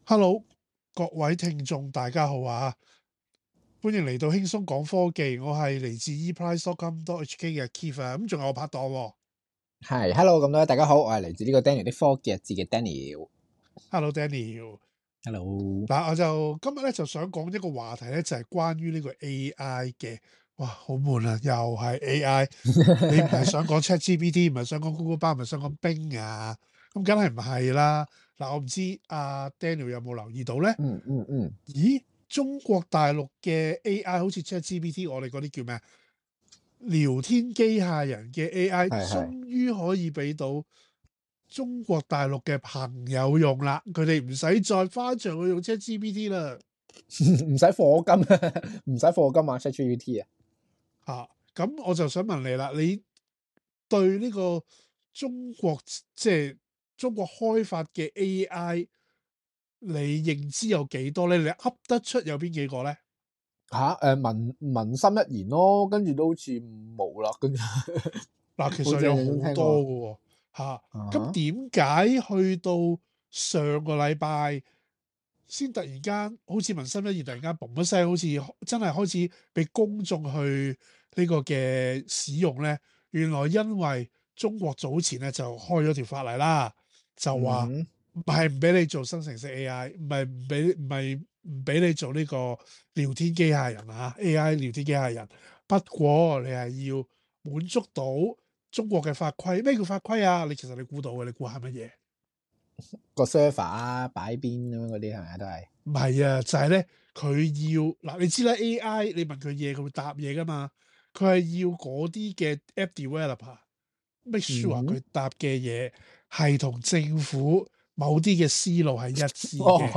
Hello，各位聽眾大家好啊！歡迎嚟到輕鬆講科技，我係嚟自 eprice.com.hk 嘅 Keith 啊，咁仲有我拍檔喎。係，hello 咁多位大家好，我係嚟自呢個 Daniel 啲科技日誌嘅 Daniel。Hello Daniel， hello。嗱，我就今日咧就想講一個話題咧，就係關於呢個 AI 嘅。哇，好悶啊，又係 AI。你唔係想講 ChatGPT，唔係想講 Google Bard，唔係想講 Bing 啊？咁梗係唔係啦。嗱，我唔知阿 Daniel 有冇留意到咧？咦，中國大陸嘅 AI 好似 ChatGPT，我哋嗰啲叫咩啊？聊天機械人嘅 AI 終於可以俾到中國大陸嘅朋友用啦，佢哋唔使再翻牆去用 ChatGPT 啦。唔使課金，唔使課金啊 ChatGPT 啊。咁我就想問你啦，你對呢個中國中國開發嘅 AI，你認知有幾多咧？你噏得出有邊幾個咧？文心一言咯，跟住都好似冇啦，跟住嗱，其實有好多嘅喎。咁點解去到上個禮拜先突然間好似文心一言突然間嘣一聲，好似真係開始俾公眾去呢個嘅使用咧？原來因為中國早前咧就開咗條法例啦，就話唔係唔俾你做生成式 AI，唔俾你做呢個聊天機械人啊 AI 聊天機械人。不過你係要滿足到中國嘅法規。咩叫法規啊？其實你估到嘅，你估係乜嘢？個 server 啊，擺邊咁樣嗰啲係咪都係？唔係啊，就係咧佢要嗱，你知啦 AI 你問佢嘢，佢會答嘢噶嘛。佢係要嗰啲嘅 app developer make sure 佢答嘅嘢係同政府某啲嘅思路係一致嘅。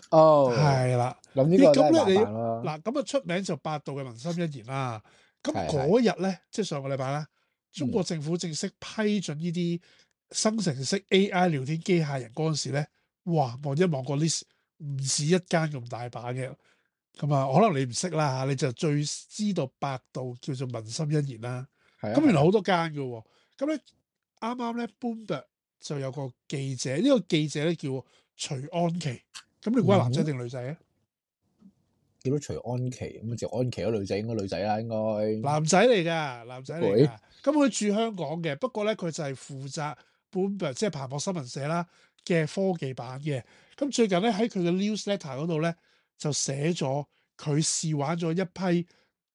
係啦。咁呢個真係麻你煩咯。嗱咁啊出名就百度嘅文心一言啦。咁嗰日咧，即係上個禮拜啦，中國政府正式批准呢啲生成式 AI 聊天機械人嗰陣時咧，哇！望一望個 list 唔止一間咁大把嘅。咁啊，可能你唔識啦嚇，你就最知道百度叫做文心一言啦。咁原來好多間嘅喎。咁咧啱啱咧 Bloomberg 就有個記者，呢個記者咧叫徐安琪。咁你估係男仔定女仔啊？叫到徐安琪，咁徐安琪嗰女仔應該女仔啦，應該男仔嚟㗎，男仔嚟㗎。咁佢住香港嘅，不過咧佢就係負責 Bloomberg 即係彭博新聞社啦嘅科技版嘅。咁最近咧喺佢嘅 newsletter 嗰度咧就寫咗佢試玩咗一批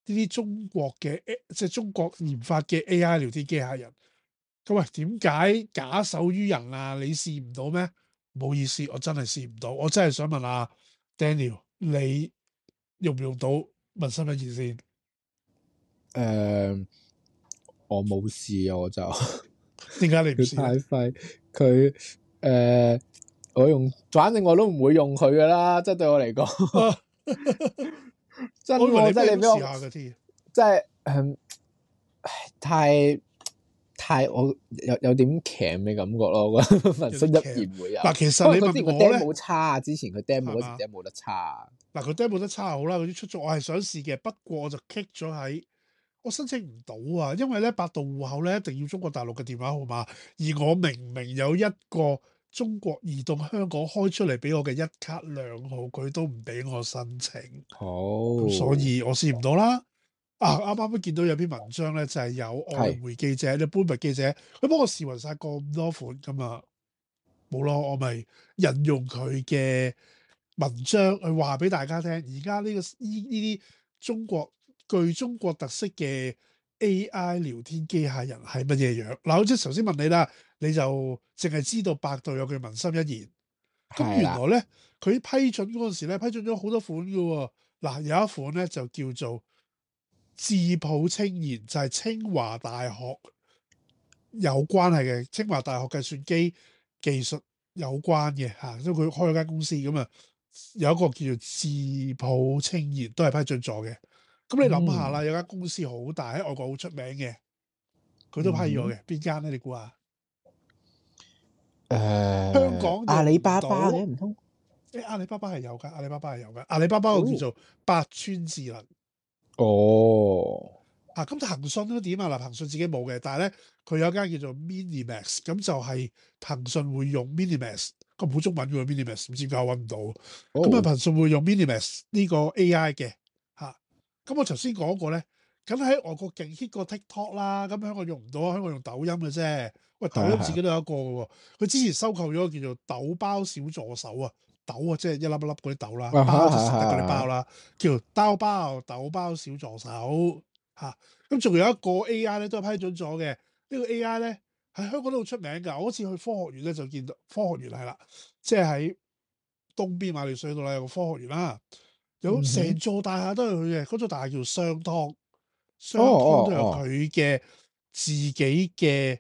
呢啲中國嘅即係中國研發嘅 AI 聊天機械人。咁喂，點解假手於人啊？你試唔到咩？唔好意思，我真係試唔到。我真係想問下 Daniel，你用唔用到文心一言先？我冇試啊，我就點解你唔試咧？太廢佢我用，反正我都唔會用佢噶啦，即係對我嚟講，真我以為你真係你俾我試下嘅添，即係太我有點鉗嘅感覺咯，我覺得文心一言會有。嗱，其實你問我咧，冇差啊，之前佢 demo 嗰時 demo 得差。嗱，佢 demo 得差好啦，嗰啲出咗我係想試嘅，不過我就 kick 咗喺我申請唔到啊，因為咧百度戶口咧一定要中國大陸嘅電話號碼，而我明明有一個中國移動香港開出嚟俾我嘅一卡兩號，佢都唔俾我申請。咁所以我試唔到啦。啱啱都見到有篇文章咧，就係有外媒記者、Bloomberg 記者，佢幫我試勻晒咁多款咁啊，冇咯，我咪引用佢嘅文章去話俾大家聽。而家呢啲具中國特色嘅 AI 聊天機械人係乜嘢樣？嗱，好似頭先問你啦，你就淨係知道百度有句文心一言。咁原來咧，佢批准嗰陣時咧，批准咗好多款嘅喎。嗱，有一款咧就叫做智譜清言，就係清華大學有關係嘅，清華大學計算機技術有關嘅嚇，所以佢開咗間公司咁啊，有一個叫做智譜清言都係批准咗嘅。咁你諗下啦，有間公司好大喺外國好出名嘅，佢都批咗嘅，邊間咧？你估下？香港阿里巴巴嘅唔通？阿里巴巴係有㗎，阿里巴巴係有㗎。阿里巴巴個叫做百川智能。咁騰訊都點啊？嗱，騰訊自己冇嘅，但係咧佢有間叫做 Minimax，咁就係騰訊會用 Minimax 佢冇中文嘅 Minimax，唔知點解揾唔到。咁啊，哦，騰訊會用 Minimax 呢個 AI 嘅嚇。咁我頭先講過咧，梗喺外國勁 hit 過 TikTok 啦，咁香港用唔到啊，香港用抖音嘅啫。喂，抖係啊係啊，音自己都有一個嘅喎，佢之前收購咗個叫做豆包小助手啊，豆啊即係一粒一粒嗰啲豆啦，啊包哈係係就食得嗰啲包係，啦，叫豆包小助手嚇。咁仲有一個 AI 咧都係批准咗嘅，呢個 AI 咧喺香港都好出名㗎。我好似去科學園咧就見到科學園係啦，即係喺東邊馬料水度啦有個科學園啦，有嗯哼，成座大廈都係佢嘅，嗰座大廈叫商湯，哦商湯都有哦哦，佢嘅自己嘅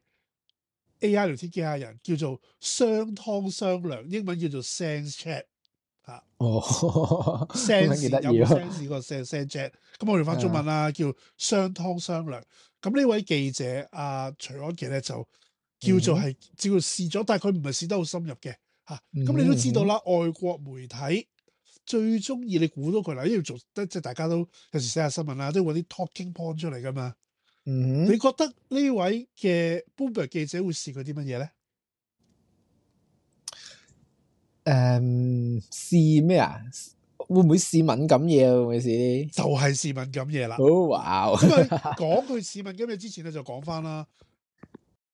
AI 聊天機械人，叫做商湯商量，英文叫做 Sense Chat 嚇哦，中文幾，sense 有冇 得意啊，sense 嗰個 sense chat，咁我哋翻中文啦，叫商湯商量。咁呢位記者徐安琪咧就叫做嗯哼，係照試咗，但係佢唔係試得好深入嘅嚇。嗯咁你都知道哼，啦，外國媒體最中意你估到佢啦，因為做得即係大家都有時寫下新聞啦，都會揾啲 talking point 出嚟噶嘛。嗯哼，你覺得呢位嘅 Bloomberg 記者會試佢啲乜嘢咧？試咩啊？會唔會試敏感嘢啊？會唔會試？就係試敏感嘢啦。哦，哇哦，咁啊，講佢試敏感嘢之前咧，就講翻啦。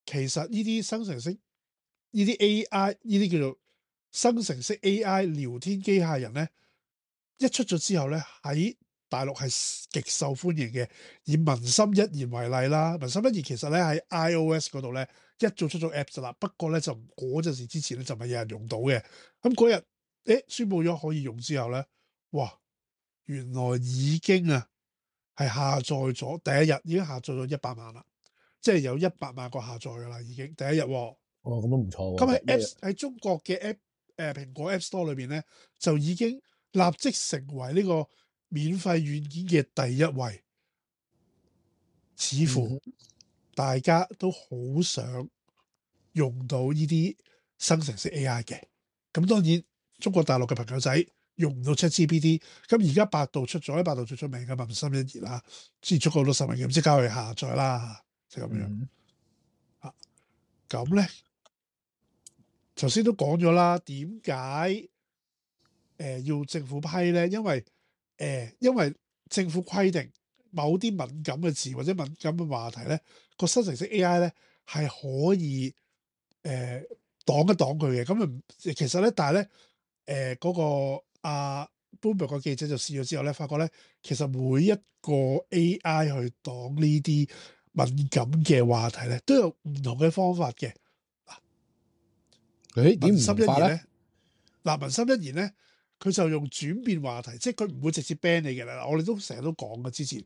其實呢啲生成式、呢啲 AI、呢啲叫做生成式 AI 聊天機械人咧，一出咗之後咧，喺大陸係極受歡迎嘅。以文心一言為例啦，文心一言其實咧喺 iOS 嗰度咧一早出咗 Apps 啦，不過咧就嗰陣時之前咧就唔係有人用到嘅。咁嗰日宣佈咗可以用之後咧，哇！原來已經係下載咗第一日已經下載咗100萬啦，即係有100萬個下載㗎啦，已經第一日喎。哦，咁都唔錯喎，咁喺 一日，Apps 喺中國嘅 蘋果 App Store 裏邊咧，就已經立即成為呢個免費軟件嘅第一位。似乎嗯哼，大家都好想用到呢啲生成式 AI 嘅。咁當然中國大陸嘅朋友仔用唔到 ChatGPT，咁而家百度出咗，喺百度最出名嘅文心一言啦，之前出過好多實名嘅，即刻去下載啦，就咁樣嗯啊。咁咧，頭先都講咗啦，點解要政府批咧？因為政府規定某啲敏感嘅字或者敏感嘅話題咧，個生成式 AI 咧係可以擋一擋佢嘅。咁啊，其實咧，但係咧嗰個Bloomberg 個記者就試咗之後咧，發覺咧其實每一個 AI 去擋呢啲敏感嘅話題咧，都有唔同嘅方法嘅。哼，誒點唔文心同法咧？一言咧，文心一言咧，佢就用轉變話題，即係佢唔會直接 ban 你嘅啦。我哋都成日都講嘅，之前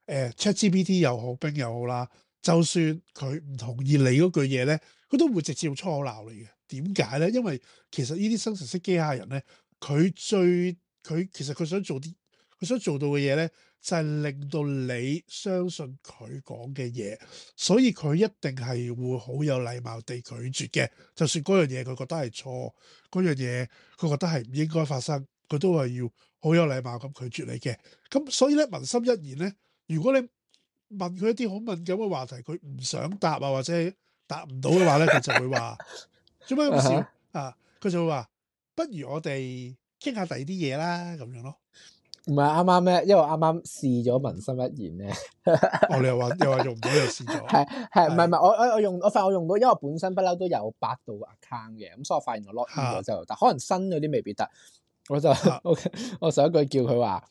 ChatGPT 又好，Bing 又好啦，就算佢唔同意你嗰句嘢咧，佢都會直接用粗口鬧你嘅。點解咧？因為其實呢啲生成式機械人咧，佢其實佢想做啲，佢想做到嘅嘢咧，就係令到你相信佢講嘅嘢，所以佢一定係會好有禮貌地拒絕嘅。就算嗰樣嘢佢覺得係錯，嗰樣嘢佢覺得係唔應該發生，佢都係要好有禮貌咁拒絕你嘅。咁所以咧，文心一言咧，如果你問佢一啲好敏感嘅話題，佢唔想答啊，或者答唔到嘅話咧，佢就會話做咩咁笑啊哈，啊？佢就會話不如我哋傾下第二啲嘢啦，咁樣咯。唔係啱啱咩？因為我啱啱試咗文心一言咧，哦，你又話用唔到，又試咗，係唔係唔係？我發現我用到，因為我本身不嬲都有百度 account 嘅，咁所以我發現我 log in 咗嚇之後，但可能新嗰啲未必得，我就嚇我上一句叫佢話。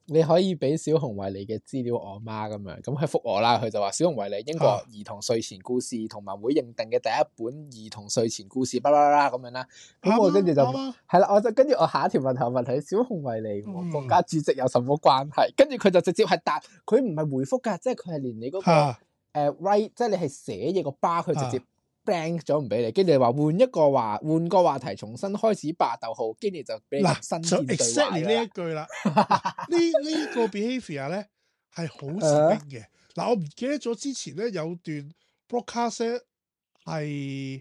你可以俾小熊維尼嘅資料我媽咁樣，咁佢覆我啦，佢就話小熊維尼英國兒童睡前故事同埋會認定嘅第一本兒童睡前故事，巴拉啦咁樣啦。咁我跟住就啱啊，係啦，我就跟住我下一條問題我問佢小熊維尼和國家嗯主席有什麼關係？跟住佢就直接係答，佢唔係回覆㗎，即係佢係連你嗰個嚇write，即係你係寫嘢個 bar，佢直接嚇 blank 咗唔俾你，跟住你話換個話題，重新開始吧，逗號，跟住就俾你嗱就新建對話 exactly 呢㗎啦。一句啦。呢個 behaviour 咧係好似冰嘅。嗱，我唔記得咗之前咧有段 broadcast 咧係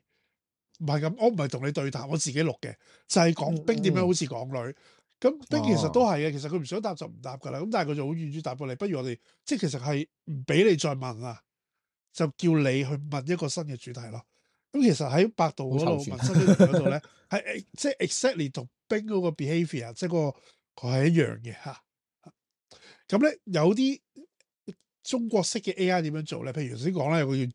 唔係咁？我唔係同你對談，我自己錄嘅，就係講冰點樣好似港女。咁冰其實都哦，係嘅，其實佢唔想答就唔答㗎啦。咁但係佢就好婉轉答過你，不如我哋即係其實係唔俾你再問啦，就叫你去問一個新嘅主題咯。咁其實喺百度嗰度好湊全文心一言嗰度咧，係即係 exactly 同冰嗰個 behaviour，即係個係一樣嘅嚇。咁咧有啲中國式嘅 AI 點樣做咧？譬如頭先講啦，有個叫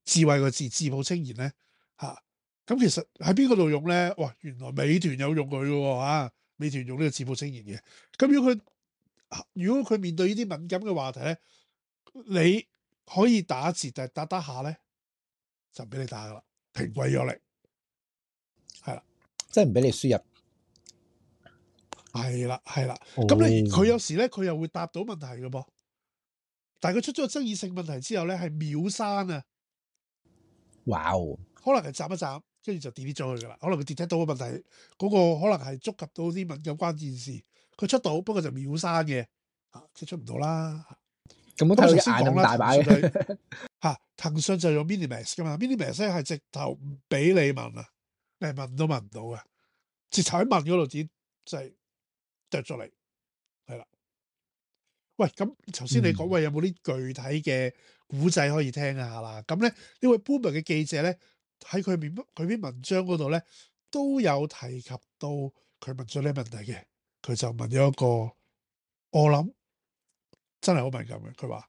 智慧個智普清賢咧嚇。咁其實喺邊個度用咧？哇！原來美團有用佢嘅喎嚇，美團用呢個智普清賢嘅。咁如果佢面對呢啲敏感嘅話題咧，你可以打字，但係打下咧就唔俾你打噶啦，停鬼咗你，係啦，即係唔俾你輸入。係啦，係啦。哦咁咧佢有時咧佢又會答到問題嘅噃，但係佢出咗個爭議性問題之後咧係秒刪啊，哇哦！可能係斬一斬，跟住就 delete 咗佢噶啦。可能佢 detect 到個問題，嗰個可能係觸及到啲敏感關鍵字，佢出到，不過就秒刪嘅，即係出唔到啦。咁我睇到隻眼咁大擺嘅。騰訊就用 Minimax 噶嘛，Minimax 咧係直頭唔俾你問啊，你係問都問唔到嘅，直頭喺問嗰度只就係剁咗你，係啦。喂，咁頭先你講喂有冇啲具體嘅古仔可以聽下啦？咁咧呢位 Bloomberg 嘅記者咧喺佢篇文章嗰度咧都有提及到佢問咗呢個問題嘅，佢就問咗一個我諗真係好敏感嘅，佢話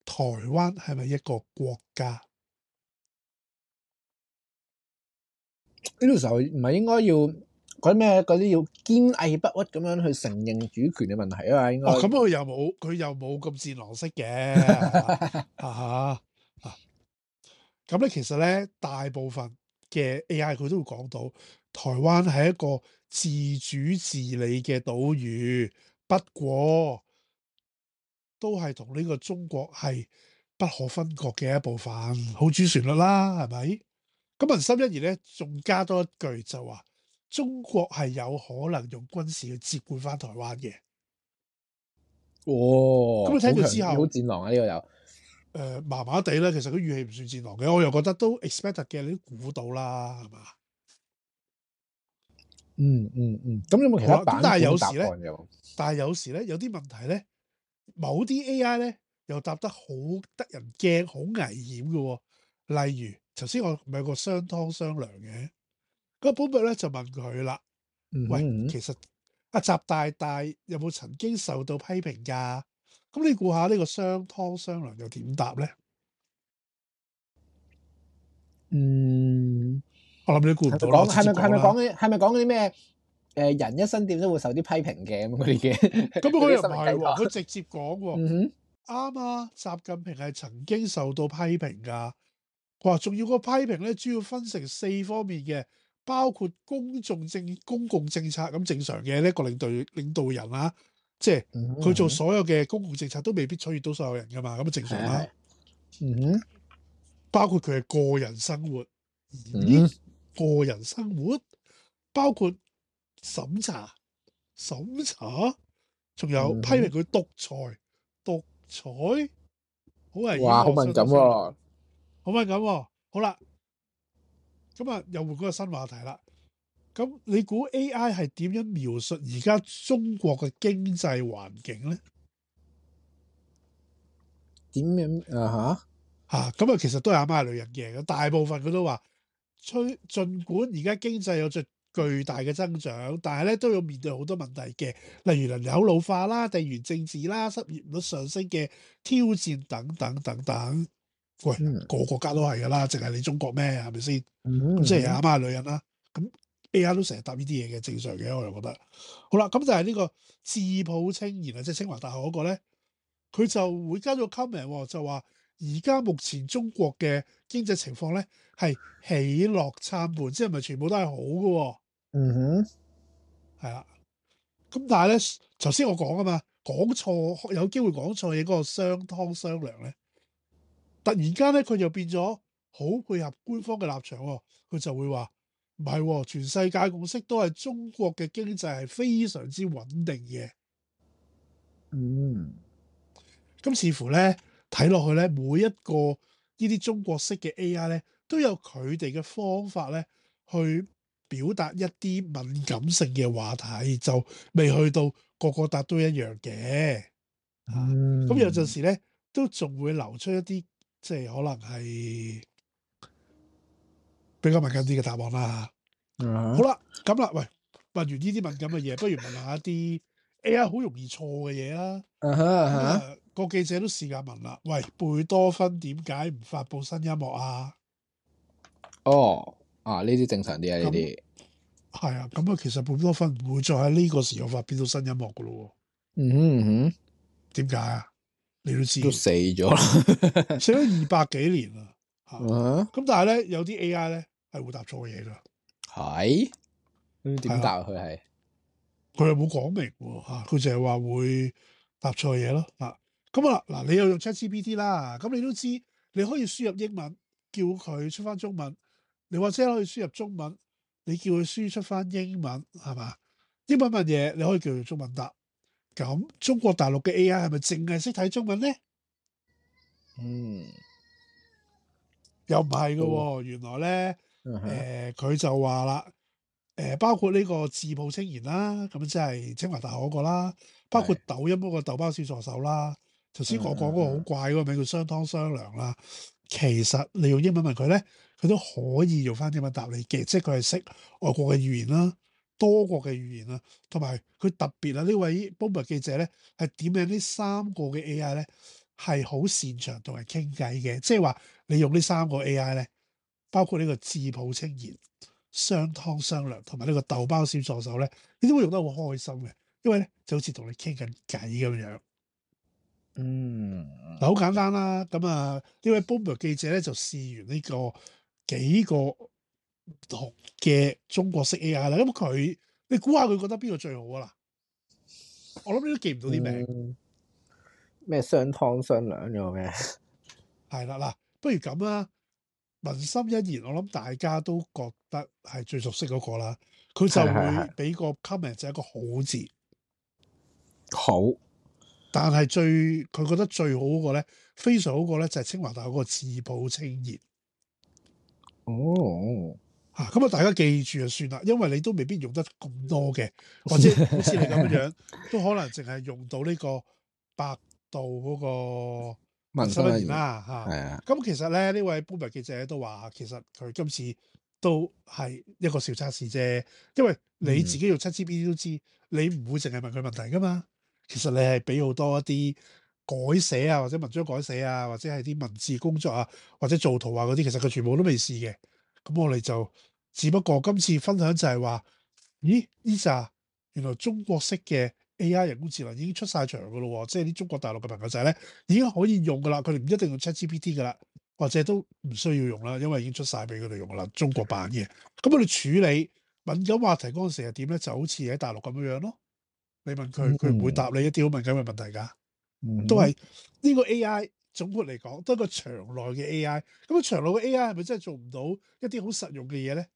台灣係咪一個國家？呢個時候唔係應該要嗰啲要堅毅不屈咁樣去承認主權嘅問題啊嘛？應該咁佢又冇咁戰狼式嘅咁咧其實咧大部分嘅 AI 佢都會講到台灣係一個自主治理嘅島嶼，不過都係同呢個中國係不可分割嘅一部分，好主旋律啦，係咪？咁文心一言咧仲加多一句就話中國係有可能用軍事去接管翻台灣嘅。咁你聽到之後，好戰狼啊！呢個又麻麻地啦。其實佢語氣唔算戰狼嘅，我又覺得都 expected 嘅，你都估到啦，係嘛？咁有冇其他版本但係有答時咧，有啲問題咧，某啲 AI 咧又答得好得人驚，好危險嘅喎。例如頭先我咪有個雙湯雙糧嘅，嗰個本伯咧就問佢啦，喂，其實阿習大大有冇曾經受到批評㗎？咁你估下呢個雙湯雙糧又點答咧？我諗你估唔到啦。係咪講啲咩？人一生點都會受啲批評嘅咁嗰啲嘅。咁佢又唔係喎，佢直接講喎。啱啊，習近平係曾經受到批評㗎。佢話仲要個批評咧，主要分成4方面嘅，包括公共政策咁正常嘅呢一個領導人啦，即係佢做所有嘅公共政策都未必取悅到所有人㗎嘛，咁正常啦。包括佢嘅個人生活，個人生活包括審查，仲有批評佢獨裁，好危險喎！哇，好敏感喎！好敏感喎！好啦，咁啊又換嗰個新話題啦。咁你估 AI 係點樣描述而家中國嘅經濟環境咧？點樣咁啊，其實都係阿媽係女人嘅。大部分佢都話，儘管而家經濟有著巨大嘅增長，但係咧都要面對好多問題嘅，例如人口老化啦、地緣政治啦、失業率上升嘅挑戰等等等等。喂，個國家都係㗎啦，淨係你中國咩？係咪先？咁即係阿媽係女人啦。咁 AI 都成日答呢啲嘢嘅，正常嘅，我又覺得。好啦，咁就係呢個智普清賢啊，即係清華大學嗰個咧，佢就會加咗個 comment 就話。而家目前中國嘅經濟情況咧係喜樂參半，即係唔係全部都係好嘅喎。係啦。咁但係咧，頭先我講啊嘛，講錯有機會講錯嘢嗰個雙湯雙糧咧，突然間咧佢又變咗好配合官方嘅立場喎，佢就會話唔係喎，全世界共識都係中國嘅經濟係非常之穩定嘅。咁似乎咧。睇落去咧，每一個呢啲中國式嘅 AI 咧，都有佢哋嘅方法咧，去表達一啲敏感性嘅話題，就未去到個個答都一樣嘅。咁有陣時咧，都仲會流出一啲即係可能係比較敏感啲嘅答案啦。嗯好啦，咁啦，喂，問完呢啲敏感嘅嘢，不如問下一啲 AI 好容易錯嘅嘢啦。嗯哼咁嗯哼，啊，個記者都試下問啦，喂，貝多芬點解唔發布新音樂啊？哦，啊呢啲正常啲啊，呢咁啲，係啊，咁啊，其實貝多芬唔會再喺呢個時候發表到新音樂噶咯嗯哼嗯喎。點解啊？你都知哼，都死咗啦，寫咗200幾年啦嚇。嗯哼，咁但係咧，有啲 AI 咧係會答錯嘢㗎。係，咁係啦，點答佢係？佢又冇講明喎嚇，佢淨係話會答錯嘢咯嚇。咁啊嗱，你又用 ChatGPT 啦，咁你都知你可以輸入英文，叫佢出翻中文；你或者可以輸入中文，你叫佢輸出翻英文，係嘛？英文問嘢你可以叫佢中文答。咁中國大陸嘅 AI 係咪淨係識睇中文咧？嗯，又唔係嘅都，喎，原來咧，嗯哼，佢就話啦，包括呢個自報清言啦，咁即係清華大學嗰個啦，包括係，抖音嗰個豆包小助手啦，頭先我講嗰個好嗯怪嗰個名叫雙湯雙糧啦，其實你用英文問佢咧，佢都可以用翻英文答你嘅，即係佢係識外國嘅語言啦，多國嘅語言啦，同埋佢特別啊呢位 Bloomberg 記者咧係點樣呢三個嘅 AI 咧係好擅長同人傾偈嘅，即係話你用呢三個 AI 咧，包括呢個自抱清言、雙湯雙糧同埋呢個豆包小助手咧，你都會用得好開心嘅，因為咧就好似同你傾緊偈咁樣。嗯，嗱，好簡單啦，咁啊呢位 Bloomberg 記者咧就試完呢個幾個唔同嘅中國式 AI 啦，咁佢你估下佢覺得邊個最好啊啦？我諗你都記唔到啲名，嗯，咩雙湯雙糧咗咩？係啦嗱，不如咁啦，文心一言，我諗大家都覺得係最熟悉嗰個啦，佢就係係係，會俾個 comment 就係一個好字，好，但係佢覺得最好嗰個咧，非常好嗰個咧就係清華大學嗰個自抱清言。哦，咁啊，大家記住就算啦，因為你都未必用得咁多嘅，或者好似你咁樣樣，都可能淨係用到呢個百度嗰個文心一言文心一言，啦嚇。係啊，咁其實咧，呢位 Bloomberg 記者都話，其實佢今次都係一個小測試啫，因為你自己用7GPT 都知，你唔會淨係問佢問題噶嘛。其實你係俾好多一啲改寫啊，或者文章改寫啊，或者係啲文字工作啊，或者做圖啊嗰啲，其實佢全部都未試嘅。咁我哋就只不過今次分享就係話，咦呢扎原來中國式嘅 AI 人工智能已經出晒場噶咯喎，即係啲中國大陸嘅朋友仔咧已經可以用噶啦，佢哋唔一定用 ChatGPT 噶啦，或者都唔需要用啦，因為已經出晒俾佢哋用噶啦，中國版嘅。咁我哋處理敏感話題嗰陣時係點咧？就好似喺大陸咁樣樣咯。你問佢，佢唔會答你一啲好敏感嘅問題㗎。都係呢個 AI 總括嚟講，都係個牆內嘅 AI。咁啊，牆內嘅 AI 係咪真係做唔到一啲好實用嘅嘢咧？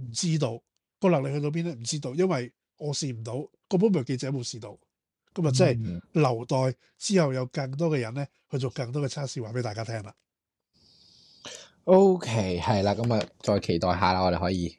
唔知道個能力去到邊咧？唔知道，因為我試唔到，個 Bloomberg 記者冇試到。咁啊，即係留待之後有更多嘅人咧去做更多嘅測試，話俾大家聽啦。OK，係啦，咁啊，再期待下啦，我哋可以。